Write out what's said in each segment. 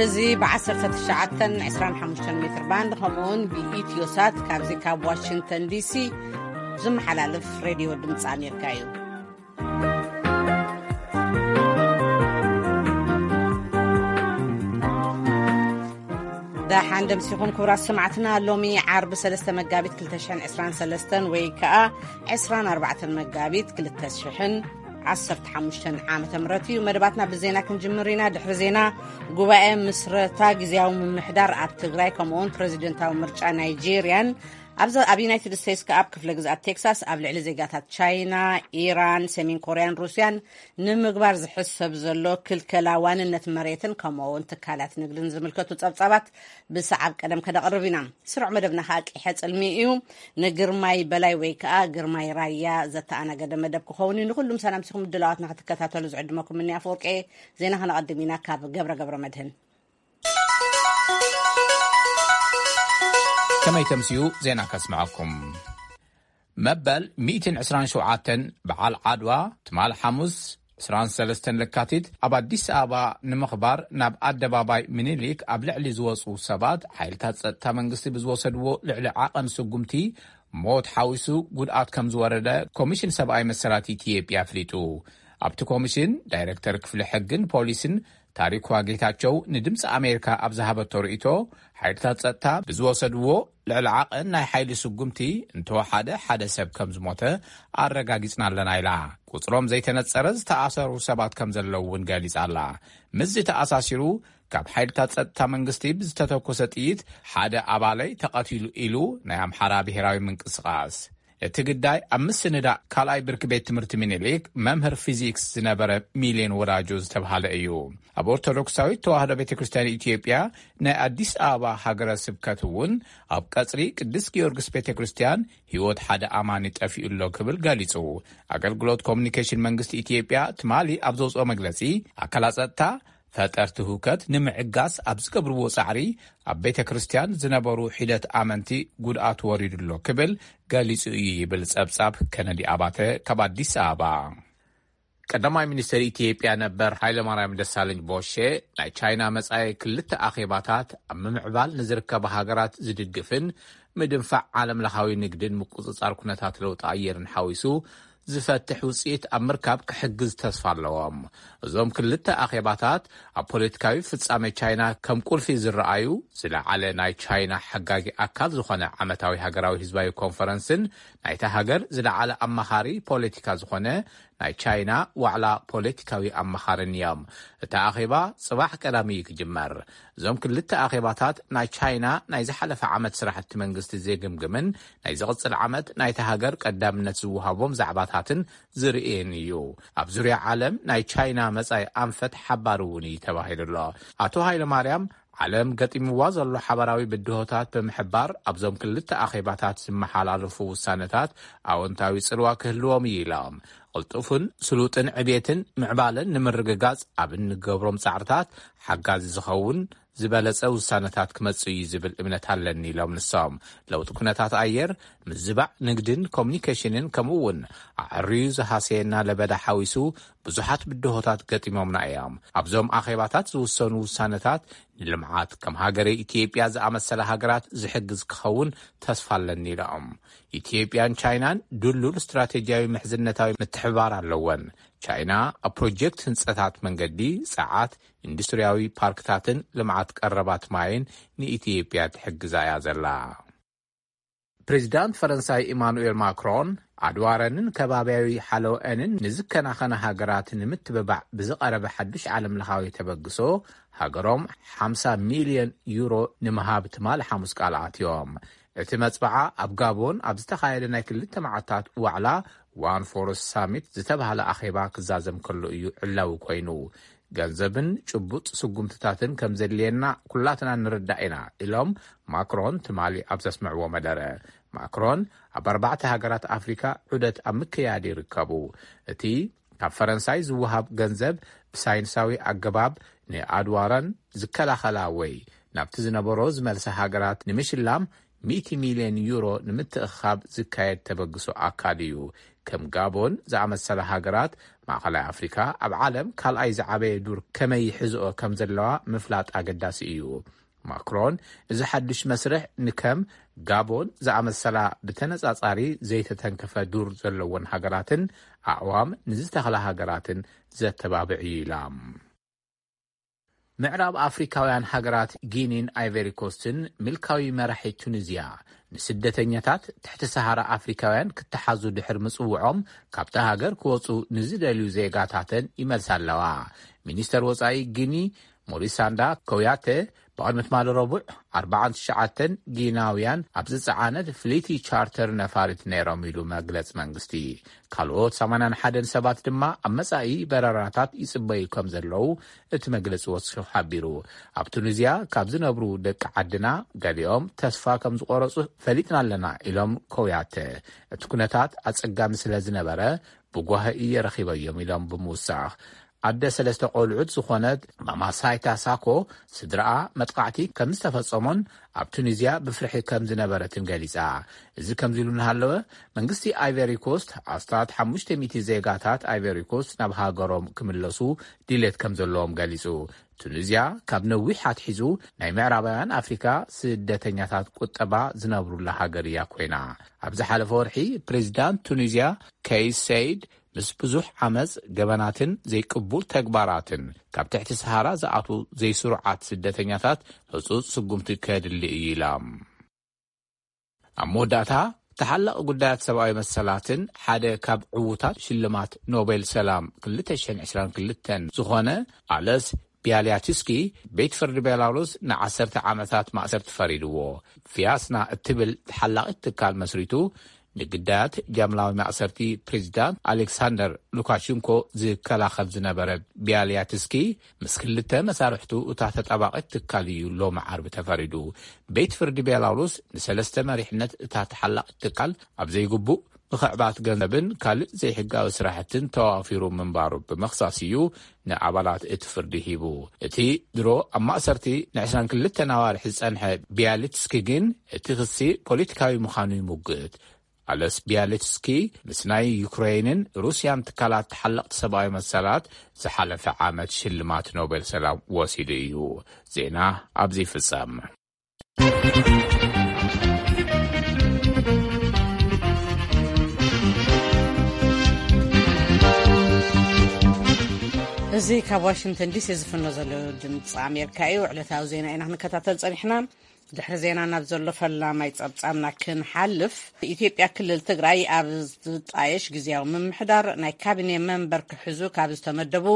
እዚ ብ1925 ሜትር ባንድ ከምኡውን ብኢትዮ ሳት ካብዚ ካብ ዋሽንግተን ዲሲ ዝመሓላለፍ ሬድዮ ድምፂ ኣሜሪካ እዩ። ደሓን ደምሲኹም ክቡራት ሰማዕትና። ሎሚ ዓርቢ 3 መጋቢት 2023 ወይ ከዓ 24 መጋቢት 2015 ዓመተ ምህረት እዩ። መደባትና ብዜና ክንጅምር ኢና። ድሕሪ ዜና፣ ጉባኤ ምስረታ ግዜያዊ ምምሕዳር ኣብ ትግራይ ከምኡውን ፕሬዚደንታዊ ምርጫ ናይጄርያን፣ ኣብዛ ኣብ ዩናይትድ ስቴትስ ከኣ ኣብ ክፍለ ግዝኣት ቴክሳስ ኣብ ልዕሊ ዜጋታት ቻይና፣ ኢራን፣ ሰሜን ኮርያን ሩስያን ንምግባር ዝሕሰብ ዘሎ ክልከላ ዋንነት መሬትን ከምኡ እውን ትካላት ንግድን ዝምልከቱ ጸብጻባት ብሰዓብ ቀደም ከነቕርብ ኢና። ስሩዕ መደብና ከኣ ቂሐ ጽልሚ እዩ። ንግርማይ በላይ ወይ ከኣ ግርማይ ራያ ዘተኣናገደ መደብ ክኸውን እዩ። ንኹሉም ሰላምቲኹም ምድላዋትና ክትከታተሉ ዝዕድመኩም እኒ ኣፈወርቄ። ዜና ከነቐድም ኢና ካብ ገብረ ገብረ መድህን። ከመይ ተምስዩ ዜና ከስምዐኩም። መበል 127 በዓል ዓድዋ ትማል ሓሙስ 23 ለካቲት ኣብ ኣዲስ ኣበባ ንምኽባር ናብ ኣደባባይ ምኒልክ ኣብ ልዕሊ ዝወፁ ሰባት ሓይልታት ጸጥታ መንግስቲ ብዝወሰድዎ ልዕሊ ዓቐን ስጉምቲ ሞት ሓዊሱ ጉድኣት ከም ዝወረደ ኮሚሽን ሰብኣዊ መሰላት ኢትዮጵያ ኣፍሊጡ። ኣብቲ ኮሚሽን ዳይሬክተር ክፍሊ ሕግን ፖሊስን ታሪኳ ጌታቸው ንድምፂ ኣሜሪካ ኣብ ዝሃበቶ ርእይቶ፣ ሓይልታት ጸጥታ ብዝወሰድዎ ልዕሊ ዓቐን ናይ ሓይሊ ስጉምቲ እንተወሓደ ሓደ ሰብ ከም ዝሞተ ኣረጋጊጽና ኣለና ኢላ። ቁጽሮም ዘይተነጸረ ዝተኣሰሩ ሰባት ከም ዘለዉ እውን ገሊጻ ኣላ። ምስዚ ተኣሳሲሩ፣ ካብ ሓይልታት ጸጥታ መንግስቲ ብዝተተኮሰ ጥይት ሓደ ኣባለይ ተቐቲሉ ኢሉ ናይ ኣምሓራ ብሔራዊ ምንቅስቓስ። እቲ ግዳይ ኣብ ምስንዳእ ካልኣይ ብርኪ ቤት ትምህርቲ ሚኒሊክ መምህር ፊዚክስ ዝነበረ ሚልዮን ወዳጆ ዝተብሃለ እዩ። ኣብ ኦርቶዶክሳዊት ተዋህዶ ቤተ ክርስቲያን ኢትዮጵያ ናይ ኣዲስ ኣበባ ሃገረ ስብከት እውን ኣብ ቀጽሪ ቅዱስ ጊዮርጊስ ቤተ ክርስቲያን ህይወት ሓደ ኣማኒ ጠፊኡ ኣሎ ክብል ገሊጹ። ኣገልግሎት ኮሙኒኬሽን መንግስቲ ኢትዮጵያ ትማሊ ኣብ ዘውፅኦ መግለጺ፣ ኣካላት ጸጥታ ፈጠርቲ ህውከት ንምዕጋስ ኣብ ዝገብርዎ ጻዕሪ ኣብ ቤተ ክርስቲያን ዝነበሩ ሒደት ኣመንቲ ጉድኣት ወሪዱ ኣሎ ክብል ገሊጹ እዩ ይብል ጸብጻብ ከነዲ ኣባተ ካብ ኣዲስ ኣበባ። ቀዳማይ ሚኒስትር ኢትዮጵያ ነበር ሃይለማርያም ደሳለኝ ቦሼ፣ ናይ ቻይና መጻኢ ክልተ ኣኼባታት ኣብ ምምዕባል ንዝርከባ ሃገራት ዝድግፍን ምድንፋዕ ዓለም ለኻዊ ንግድን ምቁጽጻር ኩነታት ለውጢ ኣየርን ሓዊሱ ዝፈትሕ ውጽኢት ኣብ ምርካብ ክሕግዝ ተስፋ ኣለዎም። እዞም ክልተ ኣኼባታት ኣብ ፖለቲካዊ ፍጻሜ ቻይና ከም ቁልፊ ዝረኣዩ፣ ዝለዓለ ናይ ቻይና ሓጋጊ ኣካል ዝኾነ ዓመታዊ ሃገራዊ ህዝባዊ ኮንፈረንስን ናይታ ሃገር ዝለዓለ ኣማኻሪ ፖለቲካ ዝኾነ ናይ ቻይና ዋዕላ ፖለቲካዊ ኣማኻርን እዮም። እቲ ኣኼባ ጽባሕ ቀዳሚ እዩ ክጅመር። እዞም ክልተ ኣኼባታት ናይ ቻይና ናይ ዝሓለፈ ዓመት ስራሕቲ መንግስቲ ዘግምግምን ናይ ዝቕጽል ዓመት ናይታ ሃገር ቀዳምነት ዝወሃቦም ዛዕባታትን ዝርእየን እዩ። ኣብ ዙርያ ዓለም ናይ ቻይና መጻኢ ኣንፈት ሓባር እውን እዩ ተባሂሉ ኣሎ። ኣቶ ሃይለማርያም፣ ዓለም ገጢምዋ ዘሎ ሓባራዊ ብድሆታት ብምሕባር፣ ኣብዞም ክልተ ኣኼባታት ዝመሓላለፉ ውሳነታት ኣወንታዊ ጽልዋ ክህልዎም እዩ ኢሎም። ቅልጡፍን ስሉጥን ዕብየትን ምዕባለን ንምርግጋጽ ኣብ እንገብሮም ጻዕርታት ሓጋዚ ዝኸውን ዝበለጸ ውሳነታት ክመጽእ እዩ ዝብል እምነት ኣለኒ ኢሎም ንሶም። ለውጢ ኩነታት ኣየር፣ ምዝባዕ ንግድን ኮሙኒኬሽንን ከምኡ እውን ኣዕርዩ ዝሃሰየና ለበዳ ሓዊሱ ብዙሓት ብድሆታት ገጢሞምና እዮም። ኣብዞም ኣኼባታት ዝውሰኑ ውሳነታት ንልምዓት ከም ሃገረ ኢትዮጵያ ዝኣመሰላ ሃገራት ዝሕግዝ ክኸውን ተስፋ ኣለኒ ኢሎም። ኢትዮጵያን ቻይናን ድሉል ስትራቴጂያዊ ምሕዝነታዊ ምትሕብባር ኣለወን። ቻይና ኣብ ፕሮጀክት ህንጸታት መንገዲ፣ ጸዓት፣ ኢንዱስትሪያዊ ፓርክታትን ልምዓት ቀረባት ማይን ንኢትዮጵያ ትሕግዛ እያ ዘላ። ፕሬዚዳንት ፈረንሳይ ኢማኑኤል ማክሮን፣ ኣድዋረንን ከባቢያዊ ሓለወአንን ንዝከናኸና ሃገራት ንምትብባዕ ብዝቐረበ ሓዱሽ ዓለም ለኻዊ ተበግሶ፣ ሃገሮም 50 ሚልዮን ዩሮ ንምሃብ ትማል ሓሙስ ቃል ኣትዮም። እቲ መጽብዓ ኣብ ጋቦን ኣብ ዝተኻየደ ናይ ክልተ መዓልታት ዋዕላ ዋን ፎረስት ሳሚት ዝተባህለ ኣኼባ ክዛዘም ከሎ እዩ ዕላዊ ኮይኑ። ገንዘብን ጭቡጥ ስጉምትታትን ከም ዘድልየና ኩላትና ንርዳእ ኢና ኢሎም ማክሮን ትማሊ ኣብ ዘስምዕዎ መደረ። ማክሮን ኣብ ኣርባዕተ ሃገራት ኣፍሪካ ዑደት ኣብ ምክያድ ይርከቡ። እቲ ካብ ፈረንሳይ ዝወሃብ ገንዘብ ብሳይንሳዊ ኣገባብ ንኣድዋረን ዝከላኸላ ወይ ናብቲ ዝነበሮ ዝመልሳ ሃገራት ንምሽላም 100 ሚልዮን ዩሮ ንምትእኻብ ዝካየድ ተበግሶ ኣካል እዩ። ከም ጋቦን ዝኣመሰላ ሃገራት ማእኸላይ ኣፍሪካ ኣብ ዓለም ካልኣይ ዝዓበየ ዱር ከመይ ይሕዝኦ ከም ዘለዋ ምፍላጥ ኣገዳሲ እዩ። ማክሮን፣ እዚ ሓድሽ መስርሕ ንከም ጋቦን ዝኣመሰላ ብተነጻጻሪ ዘይተተንከፈ ዱር ዘለወን ሃገራትን ኣዕዋም ንዝተኽላ ሃገራትን ዘተባብዕ እዩ ኢላ። ምዕራብ ኣፍሪካውያን ሃገራት ጊኒን ኣይቨሪኮስትን ምልካዊ መራሒ ቱኒዝያ ንስደተኛታት ትሕቲ ሰሃራ ኣፍሪካውያን ክተሓዙ ድሕር ምጽውዖም፣ ካብታ ሃገር ክወጹ ንዝደልዩ ዜጋታተን ይመልሳ ኣለዋ። ሚኒስተር ወጻኢ ጊኒ ሞሪሳንዳ ኮያተ ብቕድሚ ትማሊ ረቡዕ ኣርባዓን ትሽዓተን ጊናውያን ኣብ ዝጸዓነት ፍሊቲ ቻርተር ነፋሪት ነይሮም ኢሉ መግለጽ መንግስቲ። ካልኦት ሰማንያን ሓደን ሰባት ድማ ኣብ መጻኢ በረራታት ይጽበዩ ከም ዘለዉ እቲ መግለጺ ወሲኹ ሓቢሩ። ኣብ ቱኒዝያ ካብ ዝነብሩ ደቂ ዓድና ገሊኦም ተስፋ ከም ዝቆረጹ ፈሊጥና ኣለና ኢሎም ኮያተ። እቲ ኩነታት ኣጸጋሚ ስለ ዝነበረ ብጓሂ እየ ረኺበዮም ኢሎም ብምውሳኽ፣ ኣደ ሰለስተ ቆልዑት ዝኾነት ማማሳይታ ሳኮ ስድራኣ መጥቃዕቲ ከም ዝተፈጸሞን ኣብ ቱኒዝያ ብፍርሒ ከም ዝነበረትን ገሊጻ። እዚ ከምዚ ኢሉ እናሃለወ፣ መንግስቲ ኣይቨሪ ኮስት ኣስታት ሓሙሽተ ሚእቲ ዜጋታት ኣይቨሪ ኮስት ናብ ሃገሮም ክምለሱ ድሌት ከም ዘለዎም ገሊጹ። ቱኒዝያ ካብ ነዊሕ ኣትሒዙ ናይ ምዕራባውያን ኣፍሪካ ስደተኛታት ቁጠባ ዝነብሩላ ሃገር እያ ኮይና። ኣብ ዝሓለፈ ወርሒ ፕሬዚዳንት ቱኒዝያ ከይስ ሰይድ ምስ ብዙሕ ዓመፅ፣ ገበናትን ዘይቅቡል ተግባራትን ካብ ትሕቲ ሰሃራ ዝኣትዉ ዘይስሩዓት ስደተኛታት ህፁፅ ስጉምቲ ከድሊ እዩ ኢላ። ኣብ መወዳእታ፣ ተሓላቒ ጉዳያት ሰብኣዊ መሰላትን ሓደ ካብ ዕዉታት ሽልማት ኖቤል ሰላም ክልተ ሽሕን ዕስራን ክልተን ዝኾነ ኣለስ ቢያልያትስኪ፣ ቤት ፍርዲ ቤላሩስ ንዓሰርተ ዓመታት ማእሰርቲ ፈሪድዎ። ቪያስና እትብል ተሓላቒት ትካል መስሪቱ፣ ንግዳያት ጃምላዊ ማእሰርቲ ፕሬዚዳንት ኣሌክሳንደር ሉካሽንኮ ዝከላኸል ዝነበረ ቢያልያትስኪ፣ ምስ ክልተ መሳርሕቱ እታ ተጣባቒት ትካል እዩ ሎሚ ዓርቢ ተፈሪዱ። ቤት ፍርዲ ቤላሩስ ንሰለስተ መሪሕነት እታ ተሓላቒት ትካል ኣብ ዘይግቡእ ምኽዕባት ገንዘብን ካልእ ዘይሕጋዊ ስራሕትን ተዋፊሩ ምንባሩ ብምኽሳስ እዩ ንኣባላት እቲ ፍርዲ ሂቡ። እቲ ድሮ ኣብ ማእሰርቲ ንዕስራን ክልተን ኣዋርሕ ዝጸንሐ ቢያሊትስኪ ግን እቲ ክሲ ፖለቲካዊ ምዃኑ ይሙግት። ኣለስ ቢያሊትስኪ ምስ ናይ ዩክሬንን ሩስያን ትካላት ተሓለቕቲ ሰብኣዊ መሰላት ዝሓለፈ ዓመት ሽልማት ኖቤል ሰላም ወሲዱ እዩ። ዜና ኣብዚ ይፍጸም። እዚ ካብ ዋሽንግተን ዲሲ ዝፍኖ ዘሎ ድምፂ ኣሜሪካ እዩ። ዕለታዊ ዜና ኢና ክንከታተል ጸኒሕና። ድሕሪ ዜና ናብ ዘሎ ፈላማይ ጸብጻብና ክንሓልፍ፣ ኢትዮጵያ ክልል ትግራይ ኣብ ዝጣየሽ ግዝያዊ ምምሕዳር ናይ ካቢኔ መንበር ክሕዙ ካብ ዝተመደቡ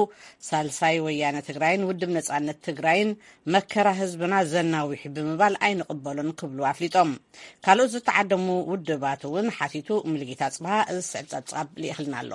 ሳልሳይ ወያነ ትግራይን ውድብ ነጻነት ትግራይን መከራ ህዝብና ዘናዊሕ ብምባል ኣይንቕበሎን ክብሉ ኣፍሊጦም። ካልኦት ዝተዓደሙ ውድባት እውን ሓቲቱ። ሙሉጌታ ጽብሃ እዚ ዝስዕብ ጸብጻብ ልኢኽልና ኣሎ።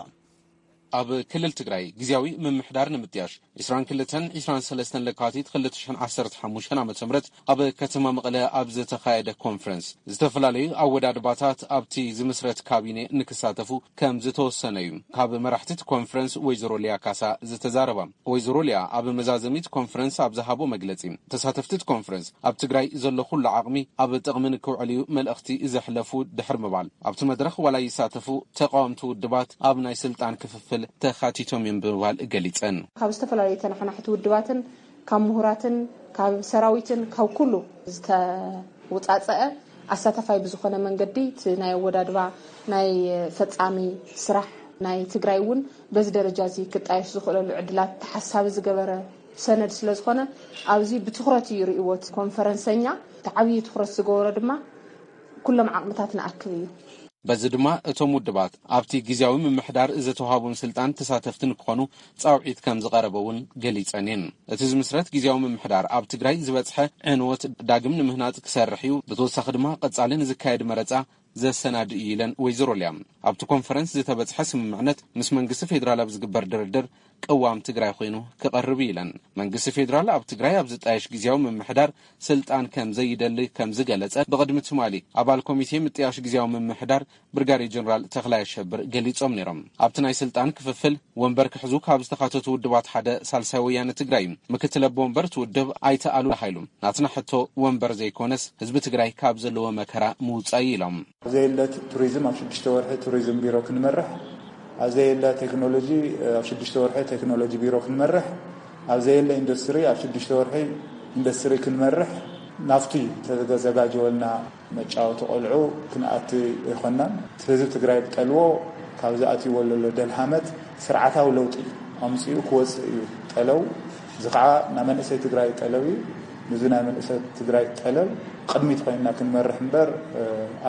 ኣብ ክልል ትግራይ ግዝያዊ ምምሕዳር ንምጥያሽ ዕስራን ክልተን ዕስራን ሰለስተን ለካቲት ክልተ ሽሕን ዓሰርተ ሓሙሽተን ዓመተ ምህረት ኣብ ከተማ መቐለ ኣብ ዝተኻየደ ኮንፈረንስ፣ ዝተፈላለዩ ኣወዳድባታት ኣብቲ ዝምስረት ካቢኔ ንክሳተፉ ከም ዝተወሰነ እዩ ካብ መራሕቲ እቲ ኮንፈረንስ ወይዘሮ ሊያ ካሳ ዝተዛረባ። ወይዘሮ ሊያ ኣብ መዛዘሚት ኮንፈረንስ ኣብ ዝሃቦ መግለጺ፣ ተሳተፍቲ እቲ ኮንፈረንስ ኣብ ትግራይ ዘሎ ኩሉ ዓቕሚ ኣብ ጥቕሚ ንክውዕል እዩ መልእኽቲ ዘሕለፉ ድሕሪ ምባል፣ ኣብቲ መድረኽ ዋላ ይሳተፉ ተቃወምቲ ውድባት ኣብ ናይ ስልጣን ክፍፍል ተኻቲቶም እዮም ብምባል ገሊጸን። ካብ ዝተፈላለዩ ተነሓናሕቲ ውድባትን ካብ ምሁራትን ካብ ሰራዊትን ካብ ኩሉ ዝተውፃፀአ ኣሳታፋይ ብዝኾነ መንገዲ እቲ ናይ ኣወዳድባ ናይ ፈጻሚ ስራሕ ናይ ትግራይ እውን በዚ ደረጃ እዚ ክጣየሽ ዝኽእለሉ ዕድላት ተሓሳቢ ዝገበረ ሰነድ ስለ ዝኾነ ኣብዚ ብትኹረት እዩ ርእይዎ እቲ ኮንፈረንሰኛ። እቲ ዓብዪ ትኹረት ዝገበሮ ድማ ኩሎም ዓቕምታት ንኣክብ እዩ። በዚ ድማ እቶም ውድባት ኣብቲ ግዝያዊ ምምሕዳር ዝተዋሃቦም ስልጣን ተሳተፍቲ ንክኾኑ ጻውዒት ከም ዝቐረበ እውን ገሊጸን እየን። እቲ ዝምስረት ግዝያዊ ምምሕዳር ኣብ ትግራይ ዝበጽሐ ዕንወት ዳግም ንምህናጽ ክሰርሕ እዩ። ብተወሳኺ ድማ ቀጻሊ ንዝካየድ መረጻ ዘሰናድእ እዩ ኢለን ወይዘሮ ሊያ። ኣብቲ ኮንፈረንስ ዝተበጽሐ ስምምዕነት ምስ መንግስቲ ፌዴራል ኣብ ዝግበር ድርድር ቅዋም ትግራይ ኮይኑ ክቐርብ እዩ ኢለን። መንግስቲ ፌዴራል ኣብ ትግራይ ኣብ ዝጣየሽ ግዝያዊ ምምሕዳር ስልጣን ከም ዘይደሊ ከም ዝገለጸ ብቕድሚ ትማሊ ኣባል ኮሚቴ ምጥያሽ ግዝያዊ ምምሕዳር ብርጋዴር ጀነራል ተኽላይ ኣሸብር ገሊጾም ነይሮም። ኣብቲ ናይ ስልጣን ክፍፍል ወንበር ክሕዙ ካብ ዝተኻተቱ ውድባት ሓደ ሳልሳይ ወያነ ትግራይ እዩ። ምክትል ኣቦ ወንበር እቲ ውድብ ኣይተ ኣሉላ ሃይሉ ናትና ሕቶ ወንበር ዘይኮነስ ህዝቢ ትግራይ ካብ ዘለዎ መከራ ምውጻእ እዩ ኢሎም። ዘየለ ቱሪዝም ኣብ ሽዱሽተ ወርሒ ቱሪዝም ቢሮ ክንመርሕ ኣብ ዘየለ ቴክኖሎጂ ኣብ ሽዱሽተ ወርሒ ቴክኖሎጂ ቢሮ ክንመርሕ፣ ኣብ ዘየለ ኢንዱስትሪ ኣብ ሽዱሽተ ወርሒ ኢንዱስትሪ ክንመርሕ፣ ናብቲ ተዘጋጀወልና መጫወቲ ቆልዑ ክንኣቲ ኣይኮናን። ህዝቢ ትግራይ ዝጠልቦ፣ ካብ ዝኣትይዎ ዘሎ ደልሃመት ስርዓታዊ ለውጢ ኣምፂኡ ክወፅእ እዩ ጠለው። እዚ ከዓ ናይ መንእሰይ ትግራይ ጠለብ እዩ። ንዚ ናይ መንእሰይ ትግራይ ጠለብ ቅድሚት ኮይንና ክንመርሕ እምበር፣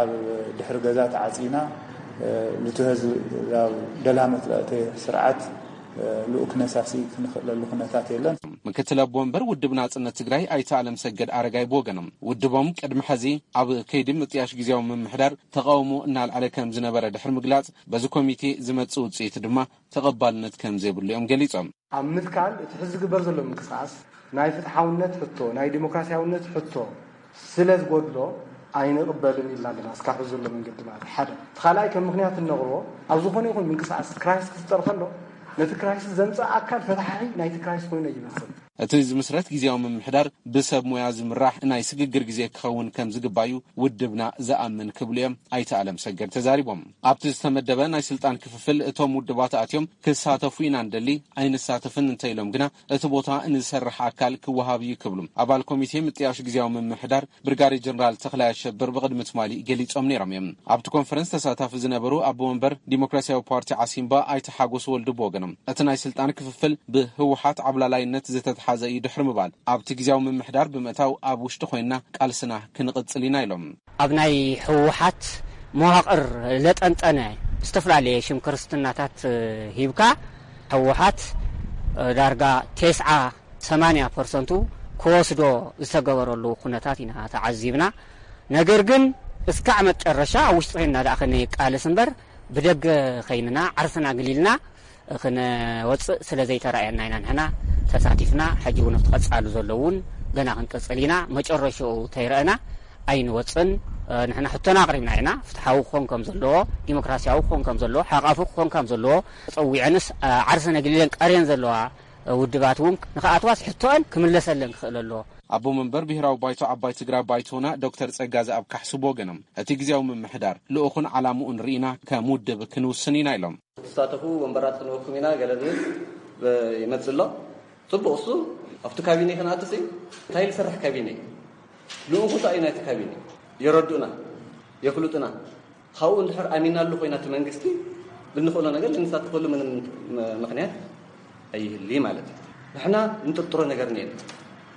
ኣብ ድሕሪ ገዛ ተዓፂና፣ ልቱ ህዝቢ ደልሃመት ለእተ ስርዓት ልኡክ ነሳሲ ክንኽእለሉ ኩነታት የለን። ምክትል ኣቦ ወንበር ውድብ ናጽነት ትግራይ ኣይተ ኣለም ሰገድ ኣረጋይ ብወገኖም፣ ውድቦም ቅድሚ ሕዚ ኣብ ከይዲ ምጥያሽ ግዜያዊ ምምሕዳር ተቃውሞ እናልዓለ ከም ዝነበረ ድሕሪ ምግላጽ፣ በዚ ኮሚቴ ዝመጽእ ውጽኢት ድማ ተቐባልነት ከም ዘይብሉ እዮም ገሊጾም። ኣብ ምትካል እቲ ሕዚ ዝግበር ዘሎ ምንቅስቃስ ናይ ፍትሓውነት ሕቶ፣ ናይ ዲሞክራሲያውነት ሕቶ ስለ ዝጎድሎ ኣይንቕበልን ኢልና ኣለና። እስካብ ሕዚ ዘሎ መንገዲ ማለት ሓደ። እቲ ካልኣይ ከም ምክንያት እንነቕርቦ፣ ኣብ ዝኾነ ይኹን ምንቅስቃስ ክራይስ ክፍጠር ከሎ፣ ነቲ ክራይስ ዘምፅእ ኣካል ፈታሒ ናይቲ ክራይስ ኮይኑ ይመስል። እቲ ዝምስረት ግዜያዊ ምምሕዳር ብሰብ ሞያ ዝምራሕ ናይ ስግግር ግዜ ክኸውን ከም ዝግባዩ ውድብና ዝኣምን ክብሉ እዮም ኣይተ ኣለም ሰገድ ተዛሪቦም። ኣብቲ ዝተመደበ ናይ ስልጣን ክፍፍል እቶም ውድባት ኣትዮም ክሳተፉ ኢና ንደሊ፣ ኣይንሳተፍን እንተኢሎም ግና እቲ ቦታ ንዝሰርሕ ኣካል ክወሃብ እዩ ክብሉ ኣባል ኮሚቴ ምጥያሽ ግዜያዊ ምምሕዳር ብርጋዴር ጀነራል ተኽላይ ኣሸብር ብቕድሚ ትማሊ ገሊጾም ነይሮም እዮም። ኣብቲ ኮንፈረንስ ተሳታፊ ዝነበሩ ኣቦ ወንበር ዲሞክራሲያዊ ፓርቲ ዓሲምባ ኣይተ ሓጎስ ወልዱ ብወገኖም፣ እቲ ናይ ስልጣን ክፍፍል ብህወሓት ዓብላላይነት ዝተትሓዘ እዩ ድሕሪ ምባል፣ ኣብቲ ግዜያዊ ምምሕዳር ብምእታው ኣብ ውሽጢ ኮይንና ቃልስና ክንቕጽል ኢና ኢሎም። ኣብ ናይ ህወሓት መዋቕር ለጠንጠነ ዝተፈላለየ ሽም ክርስትናታት ሂብካ ህወሓት ዳርጋ ቴስዓ ሰማንያ ፐርሰንቱ ክወስዶ ዝተገበረሉ ኩነታት ኢና ተዓዚብና። ነገር ግን እስካዕ መጨረሻ ኣብ ውሽጢ ኮይንና ደኣ ክንቃለስ እምበር ብደገ ከይንና ዓርስና ኣግሊልና ክነወፅእ ስለ ዘይተራእየና ኢና ንሕና ተሳቲፍና። ሕጂ እውን ኣብቲ ቀፃሊ ዘሎ እውን ገና ክንቅፅል ኢና። መጨረሽኡ ተይረእና ኣይንወፅን። ንሕና ሕቶና ኣቕሪብና ኢና። ፍትሓዊ ክኾን ከም ዘለዎ፣ ዲሞክራሲያዊ ክኾን ከም ዘለዎ፣ ሓቃፊ ክኾን ከም ዘለዎ ፀዊዐንስ ዓርሰን ኣግሊለን ቀርየን ዘለዋ ውድባት እውን ንክኣትዋስ ሕቶአን ክምለሰለን ክኽእል ኣለዎ። ኣቦ መንበር ብሄራዊ ባይቶ ዓባይ ትግራይ ባይቶና ዶክተር ጸጋዘኣብ ካሕሱ ብወገኖም፣ እቲ ግዜያዊ ምምሕዳር ልኡኹን ዓላምኡን ርኢና ከም ውድብ ክንውስን ኢና ኢሎም። ዝሳተፉ ወንበራት ክንወኩም ኢና ገለ ዝብል ይመጽእ ኣሎ። ጽቡቕ፣ እሱ ኣብቲ ካቢኔ ክንኣትስ እንታይ ዝሰርሕ ካቢኔ ልኡኹ እንታይ እዩ ናይቲ ካቢኔ የረዱእና የፍልጡና። ካብኡ እንድሕር ኣሚናሉ ኮይና እቲ መንግስቲ ብንኽእሎ ነገር ልንሳተፈሉ ምንም ምኽንያት ኣይህሊ ማለት እዩ። ንሕና ንጥርጥሮ ነገር እኒኤና።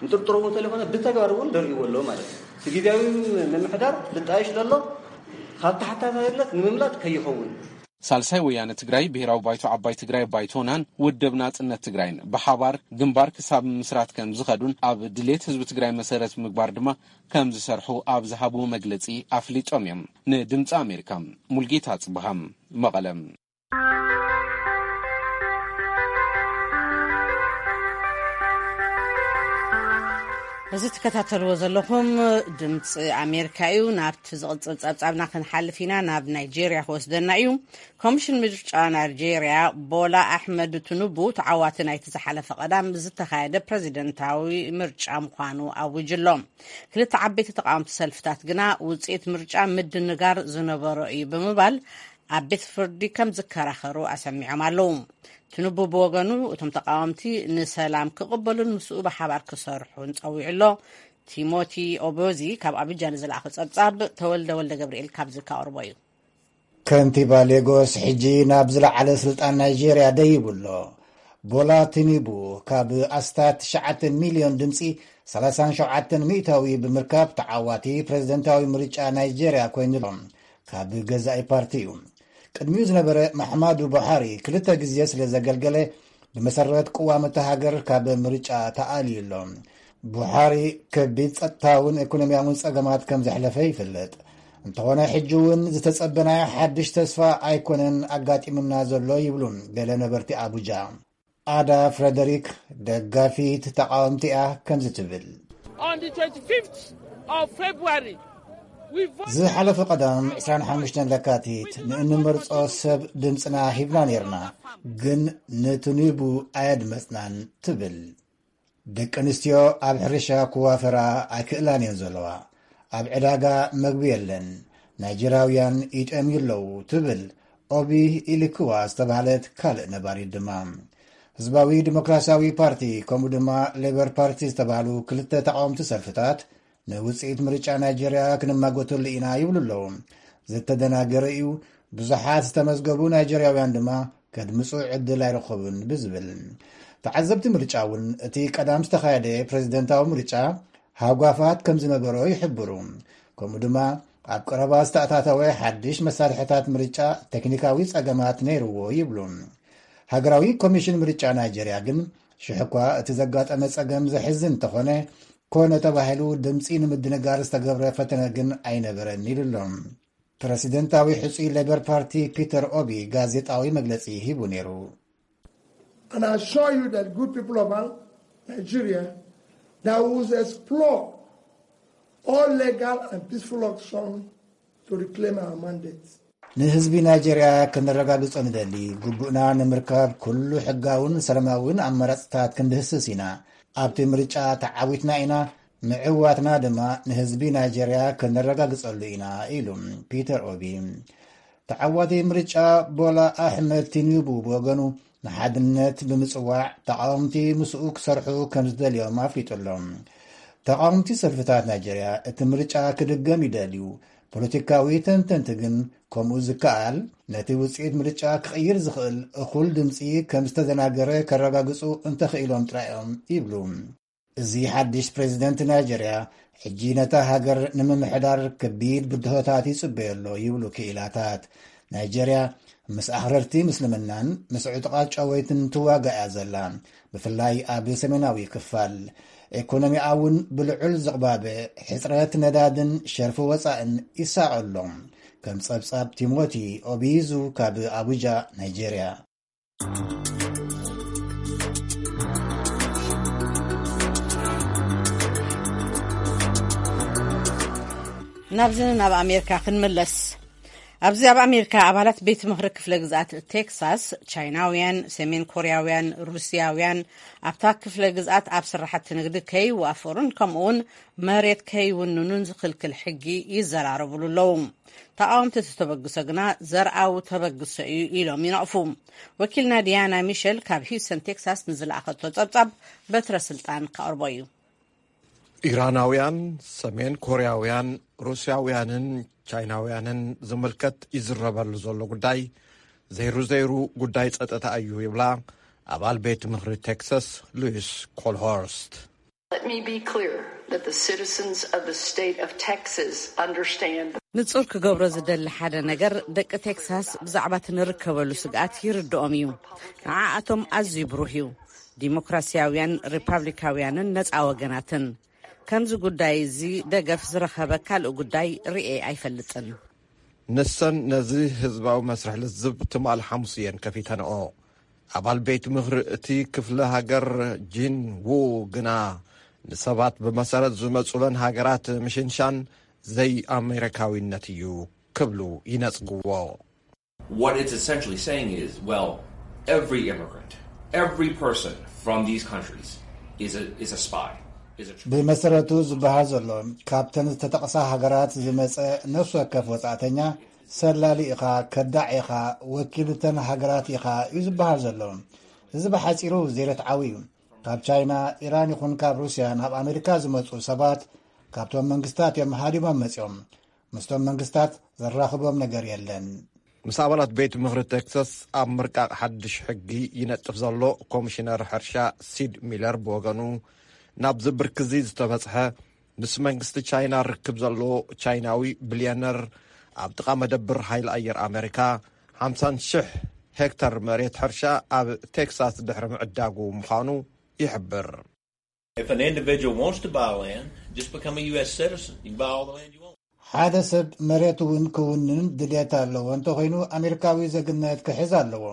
ንጥርጥሮ እውን እንተለይኮነ ብተግባር እውን ደርእይዎ ኣለዉ ማለት እዩ። እቲ ግዜያዊ ምምሕዳር ልጣየሽ ዘሎ ካብ ተሓታታይነት ንምምላጥ ከይኸውን። ሳልሳይ ወያነ ትግራይ፣ ብሄራዊ ባይቶ ዓባይ ትግራይ ባይቶናን ውድብ ናፅነት ትግራይን ብሓባር ግንባር ክሳብ ምምስራት ከም ዝኸዱን ኣብ ድሌት ህዝቢ ትግራይ መሰረት ምግባር ድማ ከም ዝሰርሑ ኣብ ዝሃብዎ መግለፂ ኣፍሊጦም እዮም። ንድምፂ ኣሜሪካ ሙልጌታ ኣፅብሃ መቐለ። እዚ ትከታተልዎ ዘለኹም ድምፂ ኣሜሪካ እዩ። ናብቲ ዝቕፅል ፀብፃብና ክንሓልፍ ኢና። ናብ ናይጄርያ ክወስደና እዩ። ኮሚሽን ምርጫ ናይጄርያ ቦላ ኣሕመድ ትኑቡ ተዓዋቲ ናይቲ ዝሓለፈ ቀዳም ዝተኻየደ ፕረዚደንታዊ ምርጫ ምዃኑ ኣዊጁ ኣሎ። ክልተ ዓበይቲ ተቃወምቲ ሰልፍታት ግና ውፅኢት ምርጫ ምድንጋር ዝነበሮ እዩ ብምባል ኣብ ቤት ፍርዲ ከም ዝከራኸሩ ኣሰሚዖም ኣለዉ። ትኑቡ ብወገኑ እቶም ተቃወምቲ ንሰላም ክቕበሉን ምስኡ ብሓባር ክሰርሑን ጸዊዑ ኣሎ። ቲሞቲ ኦቦዚ ካብ ኣቡጃ ንዝለኣኸ ጸብጻብ ተወልደ ወልደ ገብርኤል ካብዚ ከቕርቦ እዩ። ከንቲባ ሌጎስ ሕጂ ናብ ዝለዓለ ስልጣን ናይጄርያ ደይቡ ኣሎ። ቦላ ቲኒቡ ካብ ኣስታት ትሽዓተ ሚልዮን ድምፂ ሰላሳን ሸውዓተን ሚእታዊ ብምርካብ ተዓዋቲ ፕሬዝደንታዊ ምርጫ ናይጄርያ ኮይኑ ኣሎ። ካብ ገዛኢ ፓርቲ እዩ። ቅድሚኡ ዝነበረ ማሕማዱ ቡሓሪ ክልተ ግዜ ስለ ዘገልገለ ብመሰረት ቅዋም እታ ሃገር ካብ ምርጫ ተኣልዩ ኣሎ። ቡሓሪ ከቢድ ጸጥታውን ኢኮኖሚያውን ጸገማት ከም ዘሕለፈ ይፍለጥ። እንተኾነ ሕጂ እውን ዝተጸበናዮ ሓድሽ ተስፋ ኣይኮነን ኣጋጢሙና ዘሎ ይብሉ ገለ ነበርቲ ኣቡጃ። ኣዳ ፍረደሪክ ደጋፊት ተቃወምቲ እያ ከምዚ ትብል። On the twenty-fifth of February, we voted ዝሓለፈ ቀዳም ዕስራን ሓሙሽተን ለካቲት ንእንመርጾ ሰብ ድምፅና ሂብና ነይርና፣ ግን ንትኑቡ ኣየድመፅናን ትብል። ደቂ ኣንስትዮ ኣብ ሕርሻ ክዋፈራ ኣይክእላን እየን ዘለዋ። ኣብ ዕዳጋ መግቢ የለን። ናይጀርያውያን ይጠምዩ ኣለዉ ትብል ኦቢ ኢሊክዋ ዝተባህለት ካልእ ነባሪት ድማ። ህዝባዊ ዲሞክራሲያዊ ፓርቲ ከምኡ ድማ ሌበር ፓርቲ ዝተባህሉ ክልተ ተቃወምቲ ሰልፍታት ንውፅኢት ምርጫ ናይጀርያ ክንማጎተሉ ኢና ይብሉ ኣለዉ። ዝተደናገረ እዩ፣ ብዙሓት ዝተመዝገቡ ናይጀርያውያን ድማ ከድምፁ ዕድል ኣይረኸቡን ብዝብል። ተዓዘብቲ ምርጫ እውን እቲ ቀዳም ዝተኻየደ ፕሬዝደንታዊ ምርጫ ሃጓፋት ከም ዝነበሮ ይሕብሩ። ከምኡ ድማ ኣብ ቀረባ ዝተኣታተወ ሓድሽ መሳርሕታት ምርጫ ቴክኒካዊ ጸገማት ነይርዎ ይብሉ። ሃገራዊ ኮሚሽን ምርጫ ናይጀርያ ግን ሽሕ እኳ እቲ ዘጋጠመ ጸገም ዘሕዝን እንተኾነ፣ ኮነ ተባሂሉ ድምፂ ንምድንጋር ዝተገብረ ፈተነ ግን ኣይነበረን ኢሉ ኣሎ። ፕረሲደንታዊ ሕፁይ ሌበር ፓርቲ ፒተር ኦቢ ጋዜጣዊ መግለፂ ሂቡ ነይሩ። And I assure you that good people of Nigeria that will explore all legal and peaceful options to reclaim our mandates. ንህዝቢ ናይጀርያ ከነረጋግጾ ንደሊ፣ ግቡእና ንምርካብ ኩሉ ሕጋውን ሰላማውን ኣማራጽታት ክንድህስስ ኢና። ኣብቲ ምርጫ ተዓዊትና ኢና፣ ምዕዋትና ድማ ንህዝቢ ናይጀርያ ከነረጋግጸሉ ኢና ኢሉ ፒተር ኦቢ። ተዓዋቲ ምርጫ ቦላ ኣሕመድ ቲኒቡ ብወገኑ ንሓድነት ብምጽዋዕ ተቃወምቲ ምስኡ ክሰርሑ ከም ዝደልዮም ኣፍሊጡ ኣሎ። ተቃወምቲ ሰልፍታት ናይጀርያ እቲ ምርጫ ክድገም ይደልዩ። ፖለቲካዊ ተንተንቲ ግን ከምኡ ዝከኣል ነቲ ውፅኢት ምርጫ ክቕይር ዝኽእል እኹል ድምፂ ከም ዝተደናገረ ከረጋግፁ እንተኽኢሎም ጥራይ እዮም ይብሉ። እዚ ሓድሽ ፕሬዚደንት ናይጀርያ ሕጂ ነታ ሃገር ንምምሕዳር ከቢድ ብድሆታት ይጽበዮ ኣሎ ይብሉ ክኢላታት። ናይጀርያ ምስ ኣኽረርቲ ምስልምናን ምስ ዕጡቓት ጨወይትን ትዋጋእ እያ ዘላ። ብፍላይ ኣብ ሰሜናዊ ክፋል። ኤኮኖሚኣ እውን ብልዑል ዝቕባበ ሕጽረት ነዳድን ሸርፊ ወጻእን ይሳቐ ኣሎ። ከም ጸብጻብ ቲሞቲ ኦቢዙ ካብ ኣቡጃ ናይጀርያ። ናብዚ ናብ ኣሜሪካ ክንምለስ። ኣብዚ ኣብ ኣሜሪካ ኣባላት ቤት ምኽሪ ክፍለ ግዝኣት ቴክሳስ ቻይናውያን፣ ሰሜን ኮርያውያን፣ ሩስያውያን ኣብታ ክፍለ ግዝኣት ኣብ ስራሕቲ ንግዲ ከይዋፈሩን ከምኡውን መሬት ከይውንኑን ዝኽልክል ሕጊ ይዘራረብሉ ኣለዉ። ተቃወምቲ እቲ ተበግሶ ግና ዘርኣዊ ተበግሶ እዩ ኢሎም ይነቕፉ። ወኪልና ዲያና ሚሸል ካብ ሂውስተን ቴክሳስ ንዝለኣኸቶ ጸብጻብ በትረ ስልጣን ከቕርቦ እዩ። ኢራናውያን፣ ሰሜን ኮርያውያን፣ ሩስያውያንን ቻይናውያንን ዝምልከት ይዝረበሉ ዘሎ ጉዳይ ዘይሩ ዘይሩ ጉዳይ ጸጥታ እዩ ይብላ ኣባል ቤት ምኽሪ ቴክሳስ ሉዊስ ኮልሆርስት። Let me be clear that the citizens of the state of Texas understand. ንጹር ክገብሮ ዝደሊ ሓደ ነገር፣ ደቂ ቴክሳስ ብዛዕባ እቲ ንርከበሉ ስግኣት ይርድኦም እዩ። ንዓኣቶም ኣዝዩ ብሩህ እዩ። ዲሞክራሲያውያን፣ ሪፓብሊካውያንን ነጻ ወገናትን። ከምዚ ጉዳይ እዚ ደገፍ ዝረኸበ ካልእ ጉዳይ ርእየ ኣይፈልጥን። ንሰን ነዚ ህዝባዊ መስርሕ ልዝብ ትማል ሓሙስ እየን ከፊተንኦ። ኣባል ቤት ምኽሪ እቲ ክፍለ ሃገር ጂን ዉ ግና፣ ንሰባት ብመሰረት ዝመጹለን ሃገራት ምሽንሻን ዘይኣሜሪካዊነት እዩ ክብሉ ይነጽግዎ። What it's essentially saying is, well, every immigrant, every person from these countries is a, is a spy. Is a ብመሰረቱ ዝበሃል ዘሎ፣ ካብተን ዝተጠቕሳ ሃገራት ዝመጸ ነፍሲ ወከፍ ወጻእተኛ ሰላሊ ኢኻ፣ ከዳዕ ኢኻ፣ ወኪል እተን ሃገራት ኢኻ እዩ ዝበሃል ዘሎ። እዚ ብሓጺሩ ዘይርትዓዊ እዩ። ካብ ቻይና፣ ኢራን ይኹን ካብ ሩስያ ናብ ኣሜሪካ ዝመጹ ሰባት ካብቶም መንግስታት እዮም ሃዲሞም መጺኦም። ምስቶም መንግስታት ዘራኽቦም ነገር የለን። ምስ ኣባላት ቤት ምኽሪ ቴክሳስ ኣብ ምርቃቕ ሓድሽ ሕጊ ይነጥፍ ዘሎ ኮሚሽነር ሕርሻ ሲድ ሚለር ብወገኑ፣ ናብዚ ብርኪ እዚ ዝተበጽሐ ምስ መንግስቲ ቻይና ርክብ ዘለዎ ቻይናዊ ቢልዮነር ኣብ ጥቓ መደብር ሓይሊ ኣየር ኣሜሪካ ሓምሳን ሽሕ ሄክታር መሬት ሕርሻ ኣብ ቴክሳስ ድሕሪ ምዕዳጉ ምዃኑ ይሕብር። If an individual wants to buy land, just become a U S citizen. You can buy all the land you want. ሓደ ሰብ መሬት እውን ክውንን ድሌት ኣለዎ እንተኾይኑ፣ ኣሜሪካዊ ዜግነት ክሕዝ ኣለዎ።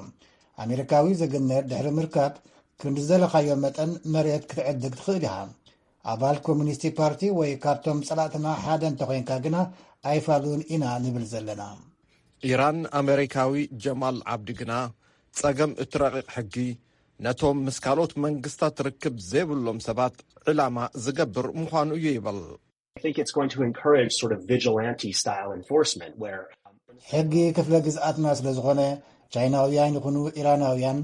ኣሜሪካዊ ዜግነት ድሕሪ ምርካብ፣ ክንዲ ዝደለኻዮ መጠን መሬት ክትዕድግ ትኽእል ኢኻ። ኣባል ኮሚኒስት ፓርቲ ወይ ካብቶም ጸላእትና ሓደ እንተኾይንካ ግና፣ ኣይፋሉን ኢና ንብል ዘለና። ኢራን ኣሜሪካዊ ጀማል ዓብዲ ግና፣ ጸገም እቲ ረቂቕ ሕጊ ነቶም ምስ ካልኦት መንግስታት ርክብ ዘይብሎም ሰባት ዕላማ ዝገብር ምዃኑ እዩ ይብል። I think it's going to encourage sort of vigilante style enforcement where ሕጊ ክፍለ ግዝኣትና ስለ ዝኾነ፣ ቻይናውያን ይኹኑ ኢራናውያን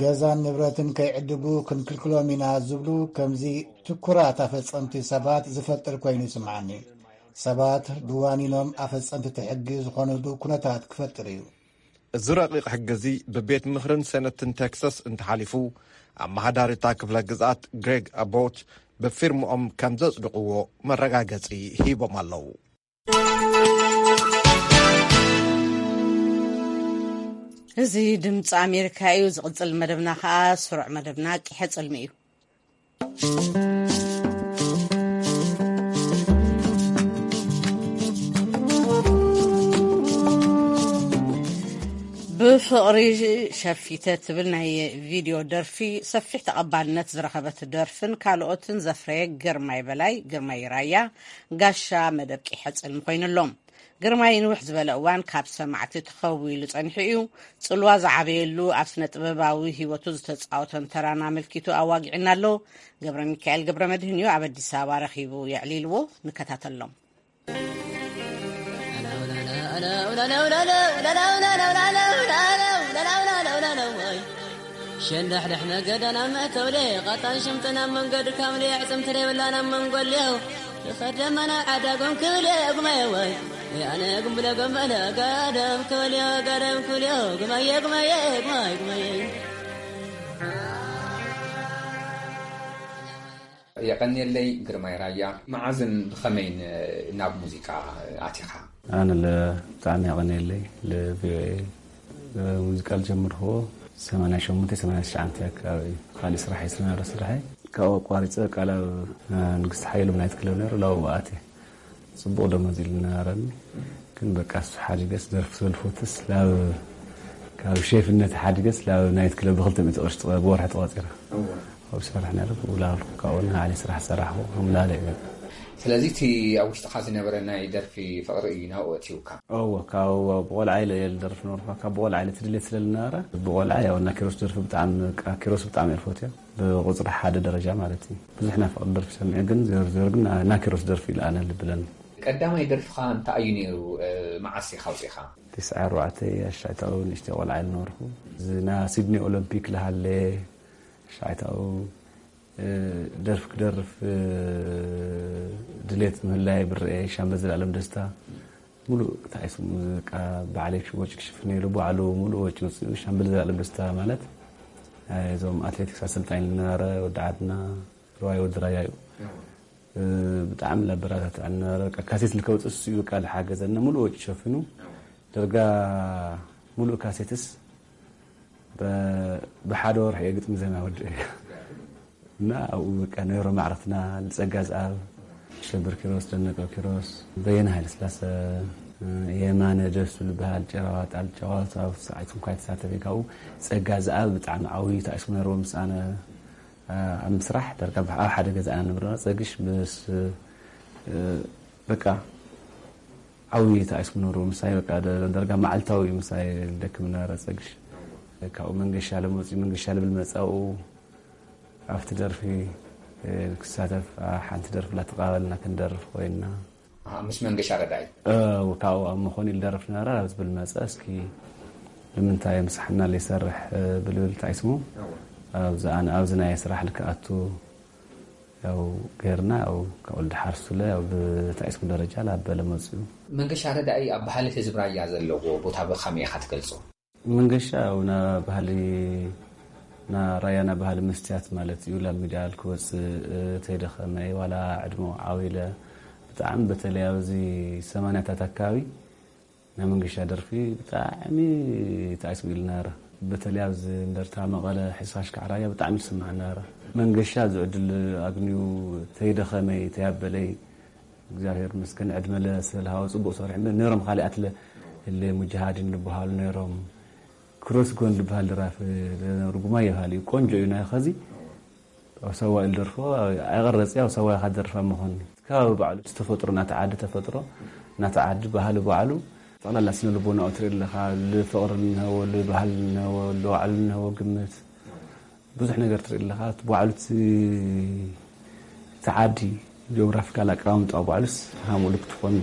ገዛን ንብረትን ከይዕድጉ ክንክልክሎም ኢና ዝብሉ ከምዚ ትኩራት ኣፈጸምቲ ሰባት ዝፈጥር ኮይኑ ይስምዓኒ። ሰባት ብዋኒኖም ኣፈጸምቲ እቲ ሕጊ ዝኾኑሉ ኩነታት ክፈጥር እዩ። እዚ ረቂቕ ሕጊ እዚ ብቤት ምኽርን ሴነትን ቴክሳስ እንተሓሊፉ፣ ኣመሓዳሪ እታ ክፍለ ግዝኣት ግሬግ ኣቦት ብፊርምኦም ከም ዘጽድቕዎ መረጋገጺ ሂቦም ኣለዉ። እዚ ድምፂ ኣሜሪካ እዩ። ዝቕፅል መደብና ከዓ ስሩዕ መደብና ቂሐ ፅልሚ እዩ። ብፍቕሪ ሸፊተ ትብል ናይ ቪድዮ ደርፊ ሰፊሕ ተቐባልነት ዝረኸበት ደርፍን ካልኦትን ዘፍረየ ግርማይ በላይ፣ ግርማይ ራያ፣ ጋሻ መደብ ቂሐ ጽልሚ ኮይኑሎም። ግርማይ ንውሕ ዝበለ እዋን ካብ ሰማዕቲ ተኸዊሉ ጸኒሑ እዩ። ጽልዋ ዝዓበየሉ ኣብ ስነ ጥበባዊ ህይወቱ ዝተጻወቶን ተራን ኣመልኪቱ ኣዋጊዕና ኣሎ። ገብረ ሚካኤል ገብረ መድህን እዩ ኣብ ኣዲስ ኣበባ ረኺቡ የዕሊልዎ። ንከታተሎም። ሸንዳሕዳሕ መገዳ ናብ መእተውሌ ቐጣን ሽምጥና መንገድ ካምሌ ዕፅምቲ ደይብላ ናብ መንጎሌው ይኸደመና ዓዳጎም ክብሌ ጉማየ ወይ ያነ ጉምብለ ጎመለ ጋደም ክብሌ ጋደም ክብሌ ጉማየ ጉማየ ጉማየ ጉማየ። የቐንየለይ ግርማይ ራያ። መዓዝን ብኸመይን ናብ ሙዚቃ ኣቲኻ? ኣነ ለ ብጣዕሚ የቐንየለይ። ለ ቪኦኤ ሙዚቃ ዝጀመርክዎ ሰማንያ ሸሞንተ ሰማንያ ትሽዓተ ኣካባቢ እዩ። ካሊእ ስራሕ እዩ ዝነበረ ስራሐይ። ካብኡ ኣቋሪፀ ቃል ኣብ ንግስቲ ሓየሎም ናይት ክለብ ነይሩ፣ ላብኡ ኣትየ። ፅቡቕ ደሞዝ ኢሉ ነበረኒ። ግን በቃ እሱ ሓዲገስ ደርፊ ስለ ዝፈትስ ላብ ካብ ሼፍነት ሓዲገስ ላብ ናይት ክለብ ብክልተ ሚእቲ ቅርሺ ትቐ- ብወርሒ ተቐፂረ። ኣብኡ ዝሰርሕ ነይረ። ብኡ ላበልኩ ካብኡ ንዓሊ ስራሕ ሰራሕኩ። ከምኡ ላለ እዩ በቃ። ስለዚ እቲ ኣብ ውሽጥኻ ዝነበረ ናይ ደርፊ ፍቕሪ እዩ ናብኡ ኣእትዩካ? እወ፣ ካብ ብቆልዓ ኢለ እየ ዝደርፍ ነበርኩ። ካብ ብቆልዓ ኢለ ትድሌት ስለ ዝነበረ ብቆልዓ ያው እና ኪሮስ ደርፊ ብጣዕሚ በቃ ኪሮስ ብጣዕሚ እየ ዝፈትዮ። ብቁፅሪ ሓደ ደረጃ ማለት እዩ። ብዙሕ ናይ ፍቕሪ ደርፊ ሰሚዐ ግን ዜሮ ዜሮ ግን ና- ናኪሮስ ደርፊ ኢለ ኣነ ልብለኒ። ቀዳማይ ደርፍኻ እንታይ እዩ ነይሩ? እ፣ መዓስ ኢኻ ኣውፂእኻ? ትስዓ ኣርባዕተ ኣሻይታኡ ንእሽተይ ቆልዓ ኢለ ነበርኩ። እዚ ና ሲድኒ ኦሎምፒክ ልሃለ ኣሻይታኡ፣ እ፣ ደርፊ ክደርፍ፣ እ፣ ድሌት ምህላይ ብርኤ ሻምበል ዘላለም ደስታ ሙሉእ እንታይ ስሙ በቃ ባዕለይ ወጪ ክሽፍን ኢሉ ባዕሉ ሙሉእ ወጪ ወፂኡ ሻምበል ዘላለም ደስታ ማለት እዞም ኣትሌቲክስ ኣሰልጣኝ ዝነበረ ወዲ ዓድና ርዋይ ወዲ ራያ እዩ። እ፣ ብጣዕሚ ለበረታትዐኒ ነበረ። በቃ ካሴት ልከውፅእ እሱ እዩ በቃ ልሓገዘኒ ሙሉእ ወጪ ሸፊኑ። ደርጋ ሙሉእ ካሴትስ በ- ብሓደ ወርሒ እየ ግጥሚ ዜማ ወዲ እና ኣብኡ በቃ ነይሮ ማዕረፍትና ንፀጋ ዝኣብ ሸብር ኪሮስ ደነቀ ኪሮስ በየነ ሃይለስላሰ የማነ ደሱ ዝበሃል ጨራዋጣ ጨዋታ ኣብ ሰዓት እንኳ የተሳተፈ ካብኡ ፀጋ ዝኣብ ብጣዕሚ ዓብዩ ተኣስሙ ነይርዎ ምስ ኣነ ኣብ ምስራሕ ዳርጋ ኣብ ሓደ ገዛ ኢና ንብረ ጸግሽ ምስ በቃ ዓብዩ ተኣስሙ ነይርዎ ምሳይ በቃ ዳርጋ መዓልታዊ ምሳይ ደክም ነበረ ጸግሽ ካብኡ መንገሻ ለመፅኡ መንገሻ ልብል መፃኡ ኣብቲ ደርፊ ክሳተፍ ሓንቲ ደርፊ ላተቃበልና ክንደርፍ ኮይንና ምስ መንገሻ ረዳኢ ካብኡ ኣብ መኾኒ ልደርፍ ነበረ ኣብ ዝብል መፀ እስኪ ንምንታይ ምሳሕና ለይሰርሕ ብልብል ታይስሙ ኣብዚ ናይ ስራሕ ልክኣቱ ያው ገርና ያው ካብኡ ልድሓር ሱለ ያው ብታይስሙ ደረጃ ላበለ መፅኡ መንገሻ ረዳኢ ኣብ ባህሊ ህዝብ ራያ ዘለዎ ቦታ ብኸመይ ኢኻ ትገልፆ መንገሻ ያው ና ባህሊ ና ራያ ና ባህሊ መስትያት ማለት እዩ ላብ ሚድያ ክወፅእ ተይደኸመ ዋላ ዕድሞ ዓው ኢለ ብጣዕሚ በተለይ ኣብዚ ሰማንያታት ኣካባቢ ናይ መንገሻ ደርፊ ብጣዕሚ ተኣስቡ ኢሉ ነበረ በተለይ ኣብዚ እንደርታ መቐለ ሕስኻሽካዕ ራያ ብጣዕሚ ዝስማዕ ነበረ መንገሻ ዝዕድል ኣግንዩ ተይደኸመይ ተያበለይ እግዚኣብሔር ይመስገን ዕድመ ለስለ ዝሃቦ ፅቡቅ ሰሪሑ እምበር ነይሮም ካሊኣት ለ እለ ሙጃሃዲን ዝበሃሉ ነይሮም ክሮስ ጎን ዝበሃል ደራፊ ርጉማ ይበሃል እዩ ቆንጆ እዩ ናይ ኸዚ ኣብ ሰዋ ኢሉ ደርፎ ኣይቀረፂ ኣብ ሰዋ ኢኻ ደርፋ መኾኒ ከባቢ ባዕሉ ተፈጥሮ ናተ ዓዲ ተፈጥሮ ናተ ዓዲ ባህሊ ባዕሉ ጠቕላላ ስነ ልቦናኡ ትርኢ ኣለኻ ልፍቕሪ እንሀዎ ልባህሊ እንሀዎ ልባዕሉ እንሀዎ ግምት ብዙሕ ነገር ትርኢ ኣለኻ እቲ ባዕሉ እቲ ዓዲ ጂኦግራፊካል ኣቀማምጣ ባዕሉስ ሃምኡ ልክ ትኾን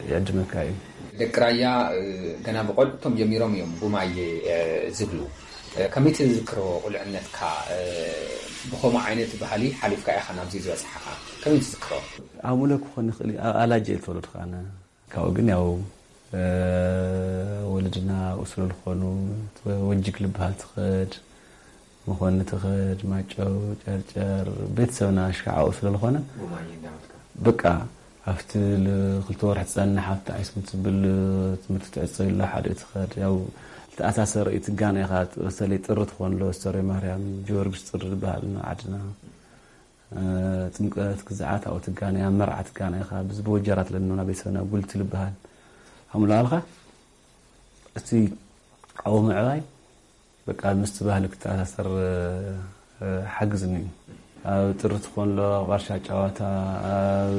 ይዕድመካ እዩ ደቂ ራያ ገና ብቆልዑቶም ጀሚሮም እዮም ጉማየ ዝብሉ። ከመይ ትዝክሮ ቁልዕነትካ? ብኸምኡ ዓይነት ባህሊ ሓሊፍካ ኢኻ ናብዚ ዝበፅሓኻ። ከመይ ትዝክሮ? ኣሙለ ክኾን ይኽእል እዩ። ኣላጀ ተወለድካ ኣነ ካብኡ ግን ያው ወለድና ኣብኡ ስለ ዝኾኑ ወጅግ ልበሃል ትኸድ፣ መኾኒ ትኸድ፣ ማጨው፣ ጨርጨር፣ ቤተሰብና ሽካዕ ኣብኡ ስለ ዝኾነ በቃ ኣብቲ ክልተ ወርሒ ትጸንሕ ኣብቲ ኣይስም ትብል ትምህርቲ ትዕጸ ኢላ ሓደ ትኸድ ያው ተኣሳሰር እዩ ትጋነ ኢኻ። በተለይ ጥሪ ትኾን ኣሎ ስተሪ ማርያም ጊዮርጊስ ጥሪ ዝበሃል ዓድና ጥምቀት ግዝዓት ኣብኡ ትጋነ ኣብ መርዓ ትጋነ ኢኻ። ብዚ በወጀራት ለንና ቤተሰብና ጉልቲ ልበሃል ኣሙላልካ እቲ ኣብኡ ምዕባይ በቃ ምስቲ ባህሊ ክተኣሳሰር ሓግዝኒ እዩ። ኣብ ጥሪ ትኾን ኣሎ ኣብ ቃርሻ ጨዋታ ኣብ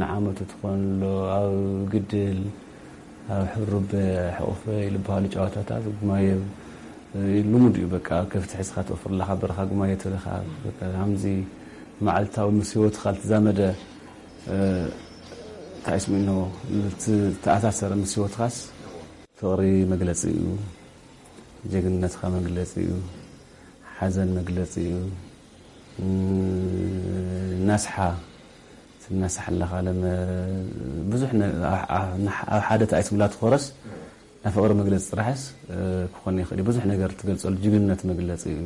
ንዓመቱ ትኾን ኣሎ ኣብ ግድል ኣብ ሕሩበ ሕቑፈ ዝበሃሉ ጨዋታታት ጉማየ ልሙድ እዩ። በቃ ከፍቲ ሕዝካ ትወፍር ኣለካ በረካ ጉማየ ትልካ ከምዚ መዓልታዊ ምስ ህይወትካ ልትዛመደ እንታይ ስሚኖ ተኣሳሰረ ምስ ህይወትካስ ፍቕሪ መግለፂ እዩ። ጀግንነትካ መግለፂ እዩ። ሓዘን መግለፂ እዩ። ናስሓ ትናስሓ ኣለኻ ለመ ብዙሕ ኣብ ሓደ ተኣይስምላ ትኾረስ ናይ ፍቕሪ መግለፂ ጥራሕስ ክኾን ይኽእል ብዙሕ ነገር ትገልፀሉ ጅግንነት መግለፂ እዩ።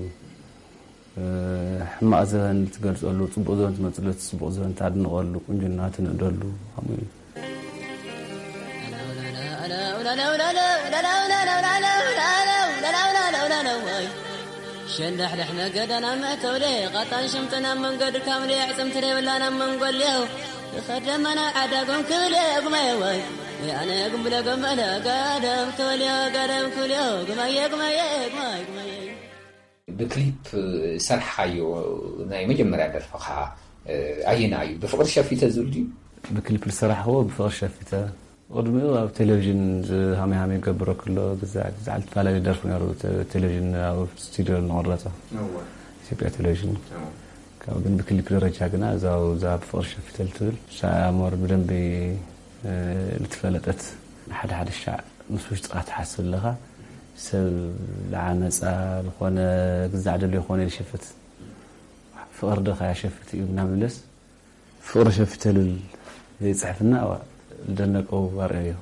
ሕማቕ ዘበን ትገልፀሉ ፅቡቕ ዘበን ትመፅሉ እቲ ፅቡቕ ዘበን ታድንቐሉ ቁንጅና ትንእደሉ ከምኡ እዩ። ሸንዳሕዳሕ መገዳና መእተውሌ ቃጣን ሽምጥና መንገድ ካምሌ ዕፅምቲ ደብላና መንጎልዮ ይኸደመና ዓዳጎም ክብሌ ጉማየ ወይ ያነ ጉምብለ ገመለ ጋደም ተወልዮ ጋደም ክብልዮ ጉማየ ጉማየ ጉማየ ጉማየ። ብክሊፕ ዝሰርሕኻዮ ናይ መጀመርያ ደርፍኻ ኣየና እዩ? ብፍቕሪ ሸፊተ ዝብል ድዩ? ብክሊፕ ዝሰራሕኽዎ ብፍቕሪ ሸፊተ። ቅድሚኡ ኣብ ቴሌቪዥን ሃመይ ሃመይ ገብሮ ክሎ ግዛዕ ግዛዕ ዝተፈላለዩ ደርፊ ነሩ። ቴሌቪዥን ኣብ ስቱዲዮ ንቐረፀ ኢትዮጵያ ቴሌቪዥን። ካብ ግን ብክሊፕ ደረጃ ግና እዛ እዛ ብፍቕሪ ሸፊተ ልትብል ሳሞር ብደንቢ ልትፈለጠት ሓደ ሓደ ሻዕ ምስ ውሽጥኻ ትሓስብ ኣለኻ። ሰብ ዝዓመፃ ዝኾነ ግዛዕ ደሎ ይኾነ ይሸፍት ፍቕሪ ዶ ከያሸፍት እዩ እናምለስ ፍቕሪ ሸፍተልል ይፅሕፍና። ዝደነቀው ኣርእዮ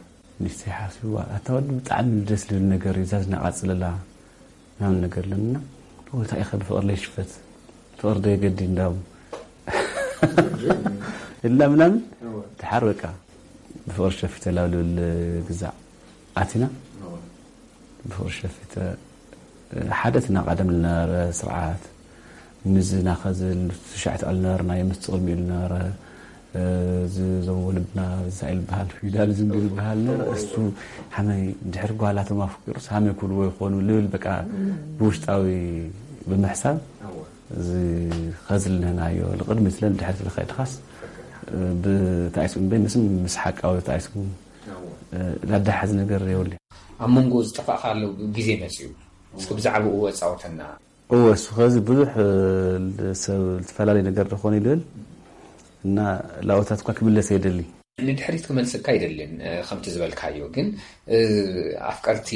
ሚስቲ ሓስብዋ ኣታ ወዲ ብጣዕሚ ደስ ልብል ነገር እዩ ዛዝና ቃፅለላ ምናምን ነገር ኣለና። እንታይ ኢኸ ብፍቕሪ ለይሽፈት ፍቕሪ ዶ የገዲ እንዳቡ እላ ምናምን ድሓር በቃ ብፍቕሪ ሸፊተ ላብ ልብል ግዛዕ ኣቲና ብፍቕሪ ሸፊተ ሓደ እቲ ናቐደም ዝነበረ ስርዓት ምዝና ከዝል ትሽዓተ ኣልነበርና የምስቲ ቅድሚኡ ዝነበረ ዝዞም ወለድና ዝሳኤል በሃል ፊውዳሊዝም ዝበሃል ነበረ እሱ ሓመይ ድሕሪ ጓላቶም ኣፍቂሩስ ሃመይ ኩልዎ ይኾኑ ልብል በቃ ብውሽጣዊ ብምሕሳብ እዚ ኸዝል ንህናዮ ንቕድሚት ለን ድሕሪ ትልኸድኻስ ብታይስኩም በይ ምስም ምስ ሓቃዊ ታይስኩም ላዳሓዝ ነገር የውል ኣብ መንጎ ዝጠፋእካ ኣሎ ግዜ መፅዩ እስኪ ብዛዕባኡ ኣፃወተና። እወ እሱ ኸዚ ብዙሕ ሰብ ዝተፈላለዩ ነገር ዝኾነ ይልብል እና ላቦታት እኳ ክምለስ የደሊ። ንድሕሪት ክመልሰካ ኣይደልን ከምቲ ዝበልካዮ ግን ኣፍቀርቲ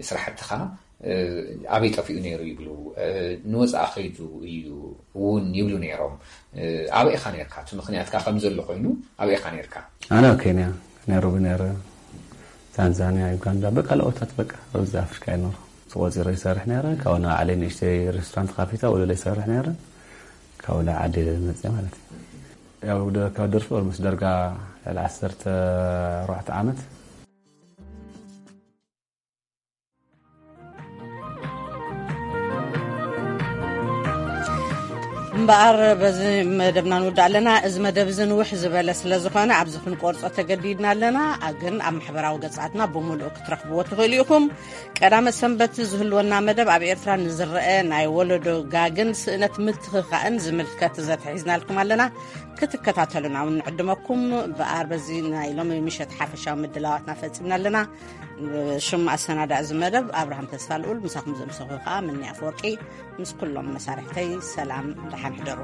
ስራሕትኻ ኣበይ ጠፊኡ ነይሩ ይብሉ ንወፃኢ ከይዱ እዩ እውን ይብሉ ነይሮም። ኣበይ ኢኻ ነርካ እቲ ምክንያትካ ከምዘሎ ኮይኑ ኣበይ ኢኻ ነርካ? ኣነ ኣብ ኬንያ ናይሮቢ ነረ ታንዛንያ ዩጋንዳ በቃ ለኦታት በቃ ኣብዚ ኣፍሪካ ይኖር ተቆፂረ ይሰርሕ ነረ ካብኡ ንባዕለይ ንእሽተይ ሬስቶራንት ካፊታ ወለለ ይሰርሕ ነረ ካብኡ ናብ ዓዲ መፅእ ማለት እዩ። ያው ካብ ደርፊ ኦልሞስ ደርጋ ልዕሊ ዓሰርተ ኣርባዕተ ዓመት። እምበኣር በዚ መደብና ንውዳእ ኣለና። እዚ መደብ እዚ ንውሕ ዝበለ ስለ ዝኾነ ኣብዚ ክንቆርጾ ተገዲድና ኣለና። ግን ኣብ ማሕበራዊ ገጻትና ብምሉእ ክትረኽብዎ ትኽእሉ ኢኹም። ቀዳመ ሰንበት ዝህልወና መደብ ኣብ ኤርትራ ንዝረአ ናይ ወለዶ ጋግን ስእነት ምትኽኻእን ዝምልከት ዘተ ሒዝናልኩም ኣለና። ክትከታተሉና እውን ንዕድመኩም። ብኣር በዚ ናይ ሎሚ ምሸት ሓፈሻዊ ምድላዋትና ፈጺምና ኣለና። ሽም ኣሰናዳእ እዚ መደብ ኣብርሃም ተስፋልኡል ምሳኹም ዘምሰኹ ከዓ ምኒ ኣፈወርቂ ምስ ኩሎም መሳርሕተይ ሰላም ደሓን ሕደሩ።